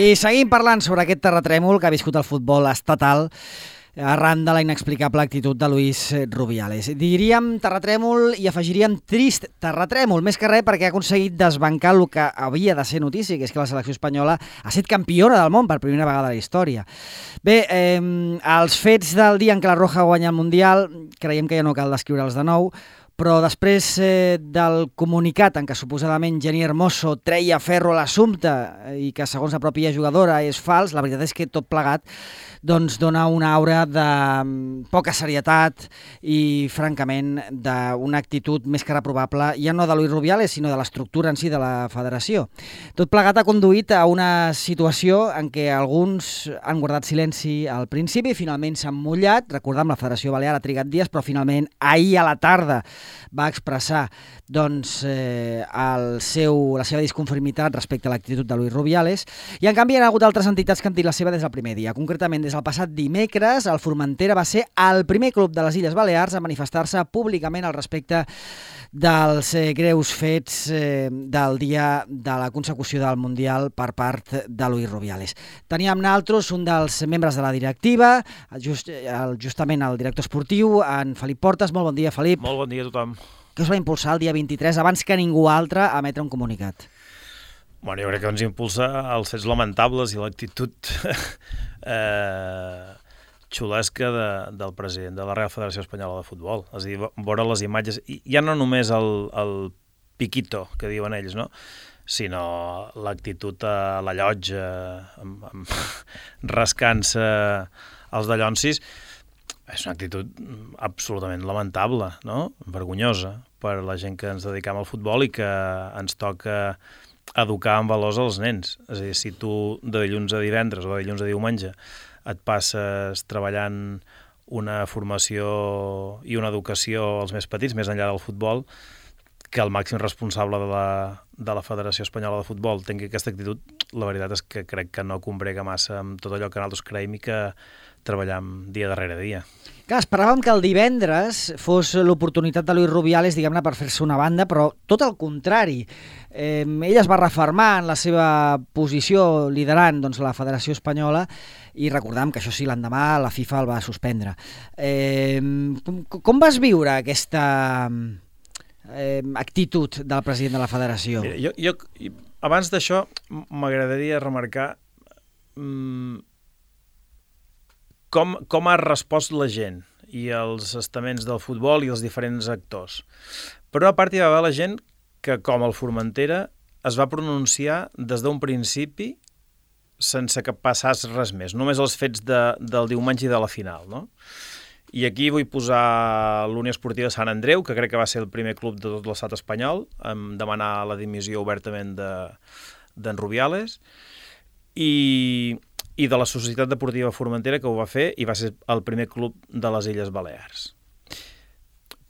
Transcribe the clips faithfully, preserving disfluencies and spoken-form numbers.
I seguim parlant sobre aquest terratrèmol que ha viscut el futbol estatal arran de la inexplicable actitud de Luis Rubiales. Diríem terratrèmol i afegiríem trist terratrèmol, més que res perquè ha aconseguit desbancar el que havia de ser notícia, que és que la selecció espanyola ha estat campiona del món per primera vegada a la història. Bé, eh, els fets del dia en què la Roja guanya el Mundial, creiem que ja no cal descriure'ls de nou, però després eh, del comunicat en què suposadament Jenni Hermoso treia ferro a l'assumpte i que segons la pròpia jugadora és fals, la veritat és que tot plegat doncs dona una aura de poca serietat i, francament, d'una actitud més que reprovable, ja no de Luis Rubiales, sinó de l'estructura en si de la federació. Tot plegat ha conduït a una situació en què alguns han guardat silenci al principi, finalment s'han mullat. Recordem, la Federació Balear ha trigat dies, però finalment ahir a la tarda va expressar doncs, eh, el seu, la seva disconformitat respecte a l'actitud de Luis Rubiales, i en canvi hi ha hagut altres entitats que han dit la seva des del primer dia. Concretament, des del passat dimecres, el Formentera va ser el primer club de les Illes Balears a manifestar-se públicament al respecte dels eh, greus fets eh, del dia de la consecució del Mundial per part de Luis Rubiales. Teníem naltros un dels membres de la directiva, just, el, justament el director esportiu, en Felip Portes. Molt bon dia, Felip. Molt bon dia a tothom. Què us va impulsar el dia vint-i-tres, abans que ningú altre, a emetre un comunicat? Bueno, jo crec que ens impulsa els fets lamentables i l'actitud eh, xulesca de, del president de la Real Federació Espanyola de Futbol. És a dir, veure les imatges, i ja no només el, el piquito que diuen ells, no? Sinó l'actitud a la llotja, amb, amb, rascant-se els dallonsis. És una actitud absolutament lamentable, no? Vergonyosa per la gent que ens dedicam al futbol i que ens toca educar en valors als nens. És a dir, si tu de dilluns a divendres o de dilluns a diumenge et passes treballant una formació i una educació als més petits, més enllà del futbol, que el màxim responsable de la, de la Federació Espanyola de Futbol tingui aquesta actitud, la veritat és que crec que no combrega massa amb tot allò que nosaltres creiem i que treballam dia darrere dia. Clar, esperàvem que el divendres fos l'oportunitat de Luis Rubiales, diguem-ne, per fer-se una banda, però tot el contrari. Eh, ell es va refermar en la seva posició liderant doncs, la Federació Espanyola, i recordem que això sí, l'endemà la FIFA el va suspendre. Eh, com, com vas viure aquesta eh, actitud del president de la Federació? Mira, jo, jo, abans d'això, m'agradaria remarcar mmm, Com, com ha respost la gent i els estaments del futbol i els diferents actors. Per una part hi va haver la gent que, com el Formentera, es va pronunciar des d'un principi sense que passés res més, només els fets de, del diumenge i de la final, no? I aquí vull posar l'Unió Esportiva Sant Andreu, que crec que va ser el primer club de tot l'estat espanyol, en demanar la dimissió obertament d'en Rubiales, i... i de la Societat Deportiva Formentera, que ho va fer, i va ser el primer club de les Illes Balears.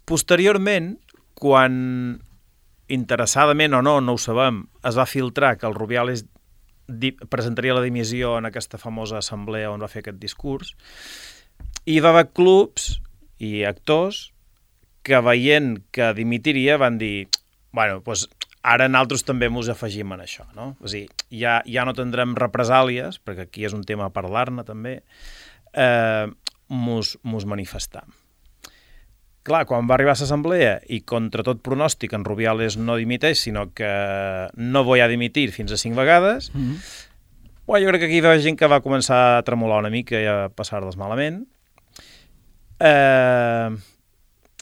Posteriorment, quan, interessadament o no, no ho sabem, es va filtrar que el Rubiales presentaria la dimissió en aquesta famosa assemblea on va fer aquest discurs, i hi va haver clubs i actors que, veient que dimitiria, van dir, bueno, doncs ara nosaltres també ens afegim en això, no? És a dir, ja, ja no tindrem represàlies, perquè aquí és un tema a parlar-ne també, eh, mos, mos manifestam. Clar, quan va arribar a l'assemblea i contra tot pronòstic en Rubiales no dimiteix, sinó que no voy a dimitir fins a cinc vegades, mm-hmm. Bueno, jo crec que aquí hi va gent que va començar a tremolar una mica i a passar-les malament. Eh...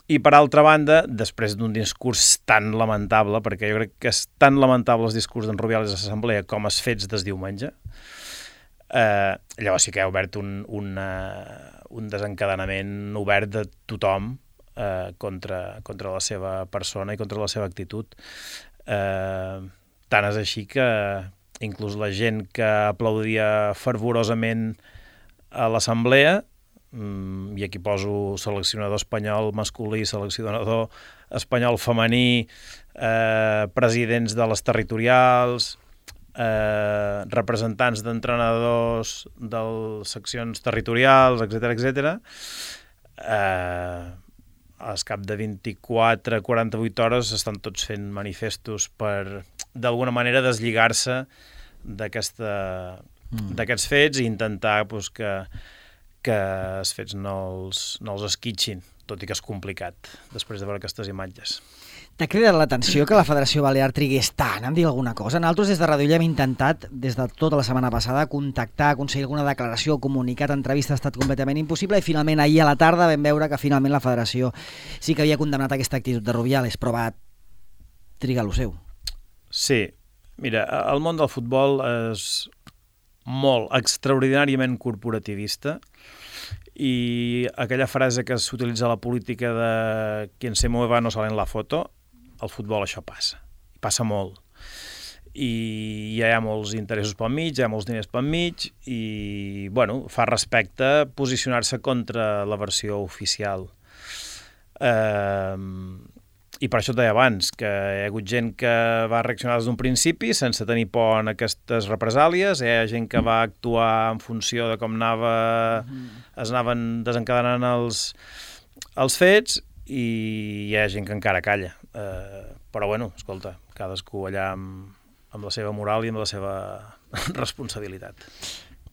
I, per altra banda, després d'un discurs tan lamentable, perquè jo crec que és tan lamentable el discurs d'en Rubiales a l'assemblea com els fets des diumenge, eh, llavors sí que ha obert un, una, un desencadenament obert de tothom eh, contra, contra la seva persona i contra la seva actitud. Eh, tant és així que inclús la gent que aplaudia fervorosament a l'assemblea, i aquí poso seleccionador espanyol masculí, seleccionador espanyol femení, eh, presidents de les territorials, eh, representants d'entrenadors de les seccions territorials, etcètera, etcètera. Eh, al cap de vint-i-quatre a quaranta-vuit hores estan tots fent manifestos per, d'alguna manera, deslligar-se d'aquesta mm. d'aquests fets i intentar pues, que, que els fets no els, no els esquitxin, tot i que és complicat després de veure aquestes imatges. T'ha cridat l'atenció que la Federació Balear trigués tant en dir alguna cosa? Nosaltres des de Ràdio Illa hem intentat, des de tota la setmana passada, contactar, aconseguir alguna declaració, comunicat, entrevista, ha estat completament impossible i finalment ahir a la tarda vam veure que finalment la Federació sí que havia condemnat aquesta actitud de Rubiales, però va trigar lo seu. Sí, mira, el món del futbol és molt, extraordinàriament corporativista i aquella frase que s'utilitza a la política de quien se mueva no sale en la foto, al futbol això passa, i passa molt. I ja hi ha molts interessos pel mig, hi ha molts diners pel mig, i, bueno, fa respecte posicionar-se contra la versió oficial. Eh, I per això et deia abans, que hi ha hagut gent que va reaccionar des d'un principi sense tenir por en aquestes represàlies, hi ha gent que va actuar en funció de com anava, es anaven desencadenant els, els fets, i hi ha gent que encara calla. Uh, però bueno, escolta, cadascú allà amb, amb la seva moral i amb la seva responsabilitat.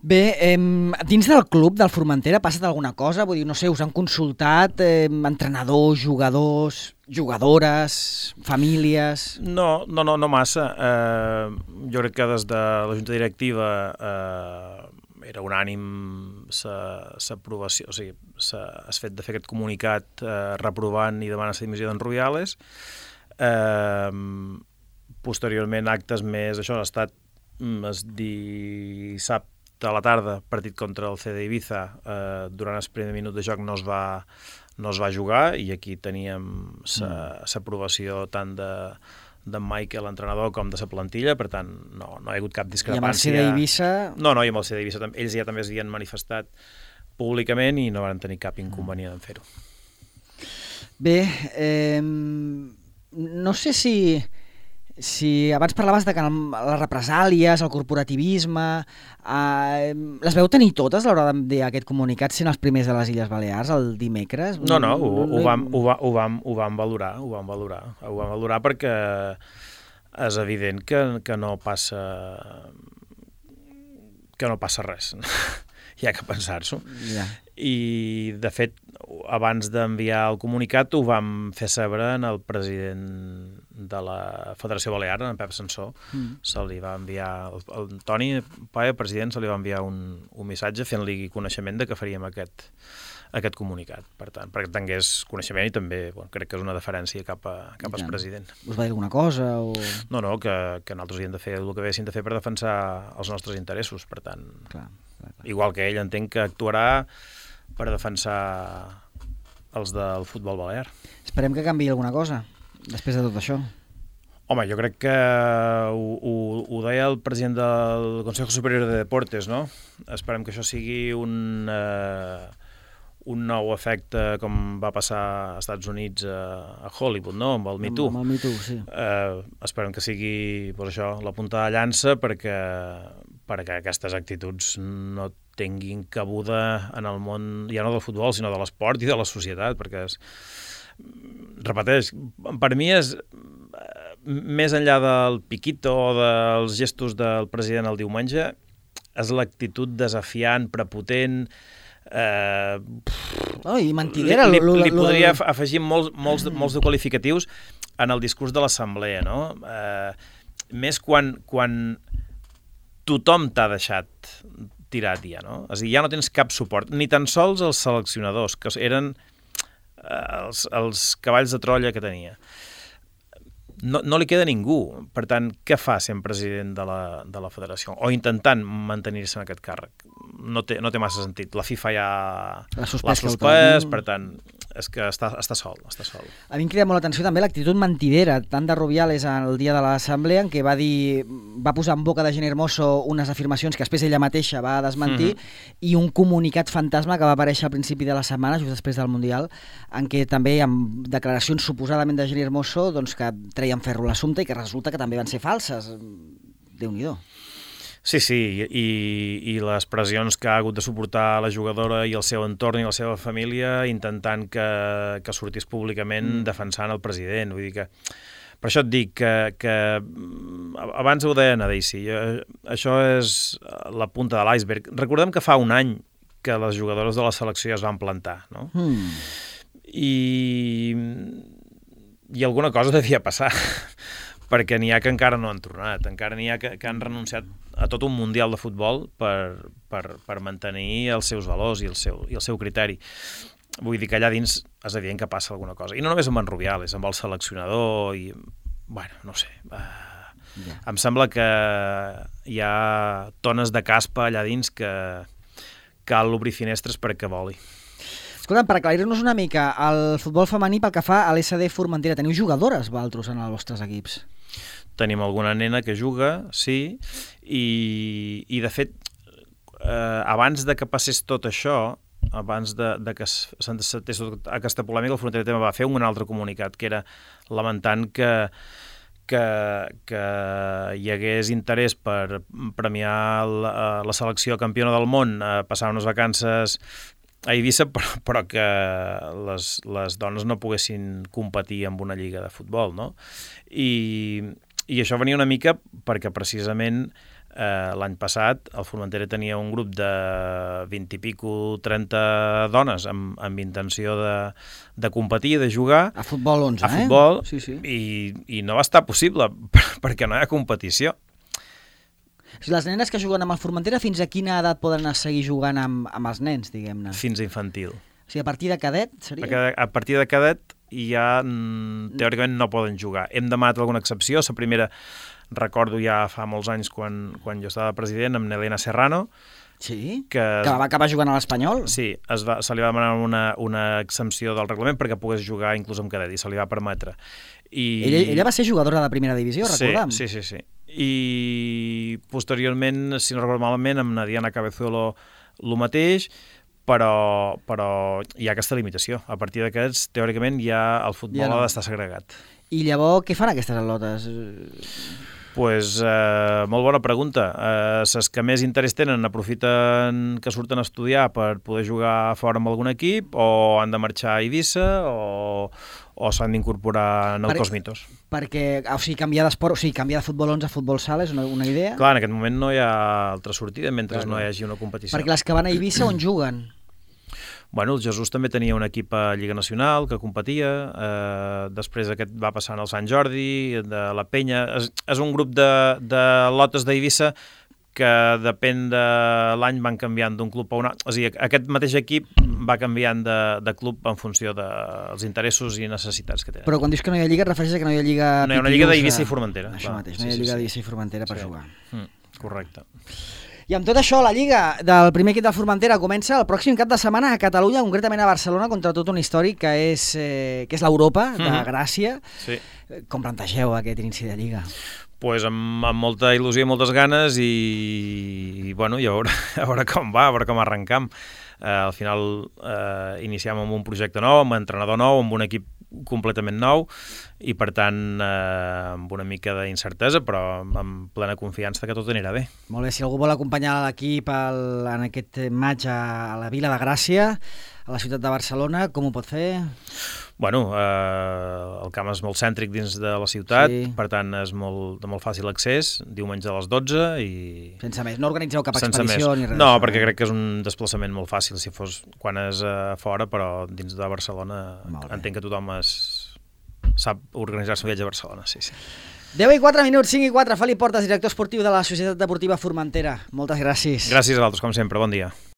Bé, eh, dins del club del Formentera ha passat alguna cosa? Vull dir, no sé, us han consultat eh, entrenadors, jugadors, jugadores, famílies... No, no, no, no massa. Uh, jo crec que des de la Junta Directiva uh, era unànim s'aprovació, o sigui, s'ha fet de fer aquest comunicat eh, reprovant i demanant la dimissió d'en Rubiales. Eh, posteriorment, actes més, això ha estat es dissabte a la tarda, partit contra el C D Ibiza, eh, durant el primer minut de joc no es va, no es va jugar i aquí teníem l'aprovació tant de d'en Michael, l'entrenador, com de la plantilla, per tant, no, no hi ha hagut cap discrepància. I amb el C D Ibiza... No, no, i amb el C D Ibiza, ells ja també es havien manifestat públicament i no van tenir cap inconvenient en fer-ho. Bé, eh, no sé si, si abans parlaves de que les represàlies, el corporativisme, eh, les veu tenir totes a l'hora d'enviar aquest comunicat sent els primers de les Illes Balears el dimecres? No, no, ho, ho, vam, ho, va, ho, vam, ho vam valorar, ho vam valorar, ho vam valorar perquè és evident que, que no passa que no passa res. Hi ha que pensar-s'ho. Yeah. I, de fet, abans d'enviar el comunicat ho vam fer saber en el president de la Federació Balear, en Pep Sansó. Mm. Se li va enviar, el, el Toni Paia, president, se li va enviar un, un missatge fent-li coneixement de que faríem aquest, aquest comunicat. Per tant, perquè tingués coneixement i també, bueno, crec que és una deferència cap, a, cap al president. Us va dir alguna cosa? O... No, no, que, que nosaltres havíem de fer el que haguéssim de fer per defensar els nostres interessos, per tant... Clar. Igual que ell entenc que actuarà per defensar els del futbol balear. Esperem que canviï alguna cosa després de tot això. Home, jo crec que ho, ho, ho deia el president del Consejo Superior de Deportes, no? Esperem que això sigui un, eh, un nou efecte com va passar als Estats Units a, a Hollywood, no? Amb el Me Too. Amb el Me Too, sí. Eh, esperem que sigui pues, això, la punta de llança perquè perquè aquestes actituds no tinguin cabuda en el món, ja no del futbol, sinó de l'esport i de la societat, perquè és, repeteix, per mi és més enllà del piquito o dels gestos del president el diumenge, és l'actitud desafiant, prepotent, eh, oh, i mentidera. Li, li, li podria afegir molts, molts, molts de qualificatius en el discurs de l'assemblea, no? Eh, més quan, quan tothom t'ha deixat tirat ja, no? És a dir, ja no tens cap suport, ni tan sols els seleccionadors, que eren eh, els, els cavalls de Troia que tenia. No, no li queda ningú. Per tant, què fa sent president de la, de la federació? O intentant mantenir-se en aquest càrrec? No té, no té massa sentit. La FIFA ja l'ha suspès, per tant, és que està, està sol, està sol. A mi em crida molt l'atenció també l'actitud mentidera, tant de Rubiales el dia de l'assemblea, en què va dir, va posar en boca de Jenny Hermoso unes afirmacions que després ella mateixa va desmentir, mm-hmm. i un comunicat fantasma que va aparèixer al principi de la setmana, just després del Mundial, en què també amb declaracions suposadament de Jenny Hermoso doncs, que treien ferro a l'assumpte i que resulta que també van ser falses. Déu-n'hi-do. Sí, sí, i, i les pressions que ha hagut de suportar la jugadora i el seu entorn i la seva família intentant que, que sortís públicament mm. defensant el president. Vull dir que Per això et dic que, que abans ho deia a Daisy, això és la punta de l'iceberg. Recordem que fa un any que les jugadores de la selecció ja es van plantar, no? Mm. I, I alguna cosa devia passar, perquè n'hi ha que encara no han tornat, encara n'hi ha que, que han renunciat a tot un mundial de futbol per, per, per mantenir els seus valors i el seu, i el seu criteri. Vull dir que allà dins és evident que passa alguna cosa. I no només amb en Rubiales, amb el seleccionador i... Bueno, no sé. Uh, yeah. Em sembla que hi ha tones de caspa allà dins que cal obrir finestres perquè voli. Escolta, per aclarir-nos una mica, el futbol femení pel que fa a l'S D Formentera, teniu jugadores, vosaltres, en els vostres equips? Tenim alguna nena que juga, sí, i, i de fet, eh, abans de que passés tot això, abans de, de que s'encetés aquesta polèmica, el Formentera també va fer un altre comunicat, que era lamentant que, que, que hi hagués interès per premiar la, la selecció campiona del món, a passar unes vacances a Eivissa, però, però que les, les dones no poguessin competir amb una lliga de futbol, no? I, i això venia una mica perquè precisament Eh, l'any passat el Formentera tenia un grup de vint i pico, trenta dones amb, amb intenció de, de competir, de jugar. A futbol onze, a futbol, eh? Sí, sí. I, i no va estar possible perquè no hi ha competició. Les nenes que juguen amb el Formentera, fins a quina edat poden seguir jugant amb, amb els nens, diguem-ne? Fins a infantil. O sigui, a partir de cadet seria? A partir de cadet ja teòricament no poden jugar. Hem demanat alguna excepció. La primera, recordo ja fa molts anys quan, quan jo estava president, amb Nelena Serrano. Sí? Que, que va acabar jugant a l'Espanyol? Sí, es va, se li va demanar una, una exempció del reglament perquè pogués jugar inclús amb cadet i se li va permetre. I... Ella, ella va ser jugadora de primera divisió, recordem? Sí, sí, sí, sí. I posteriorment, si no recordo malament, amb Nadiana Cabezuelo el mateix, però, però hi ha aquesta limitació. A partir d'aquests, teòricament, ja el futbol ja no. ha d'estar segregat. I llavors, què fan aquestes atletes? Pues, eh, molt bona pregunta. Eh, les que més interès tenen aprofiten que surten a estudiar per poder jugar fora amb algun equip, o han de marxar a Eivissa, o, o s'han d'incorporar en el per, Cosmitos. Perquè, o sigui, canviar d'esport, o sigui, canviar de futbol onze a futbol sala és una, una idea? Clar, en aquest moment no hi ha altra sortida mentre clar, no hi hagi una competició. Perquè les que van a Eivissa on juguen? Bueno, el Jesús també tenia un equip a Lliga Nacional que competia, eh, després aquest va passant al Sant Jordi, de la Penya. És, és un grup de, de lotes d'Eivissa que depèn de l'any van canviant d'un club a un altre. O sigui, aquest mateix equip va canviant de, de club en funció dels interessos i necessitats que tenen. Però quan dius que no hi ha lliga, et refereixes que no hi ha lliga... No hi ha una lliga d'Eivissa i Formentera. Això clar. mateix, no hi ha sí, lliga sí, d'Eivissa i Formentera per sí. jugar. Mm, correcte. I amb tot això, la Lliga del primer equip del Formentera comença el pròxim cap de setmana a Catalunya, concretament a Barcelona, contra tot un històric que és, eh, que és l'Europa de mm-hmm. Gràcia. Sí. Com plantegeu aquest inici de Lliga? Pues amb, amb molta il·lusió i moltes ganes i, i bueno, i a veure, a veure com va, a veure com arrencam. Eh, al final eh, iniciem amb un projecte nou, amb un entrenador nou, amb un equip completament nou i per tant eh, amb una mica d'incertesa però amb plena confiança que tot anirà bé. Molt bé, si algú vol acompanyar l'equip en aquest maig a la Vila de Gràcia, a la ciutat de Barcelona, com ho pot fer? Bueno, eh, el camp és molt cèntric dins de la ciutat, sí. Per tant és molt, de molt fàcil accés, diumenge a les dotze i... Sense més, no organitzeu cap expedició ni res? No, perquè crec que és un desplaçament molt fàcil si fos quan és a fora, però dins de Barcelona entenc que tothom es... sap organitzar-se un viatge a Barcelona, sí, sí. deu i quatre minuts, cinc i quatre, Felip Portes, director esportiu de la Societat Deportiva Formentera. Moltes gràcies. Gràcies a vosaltres, com sempre, bon dia.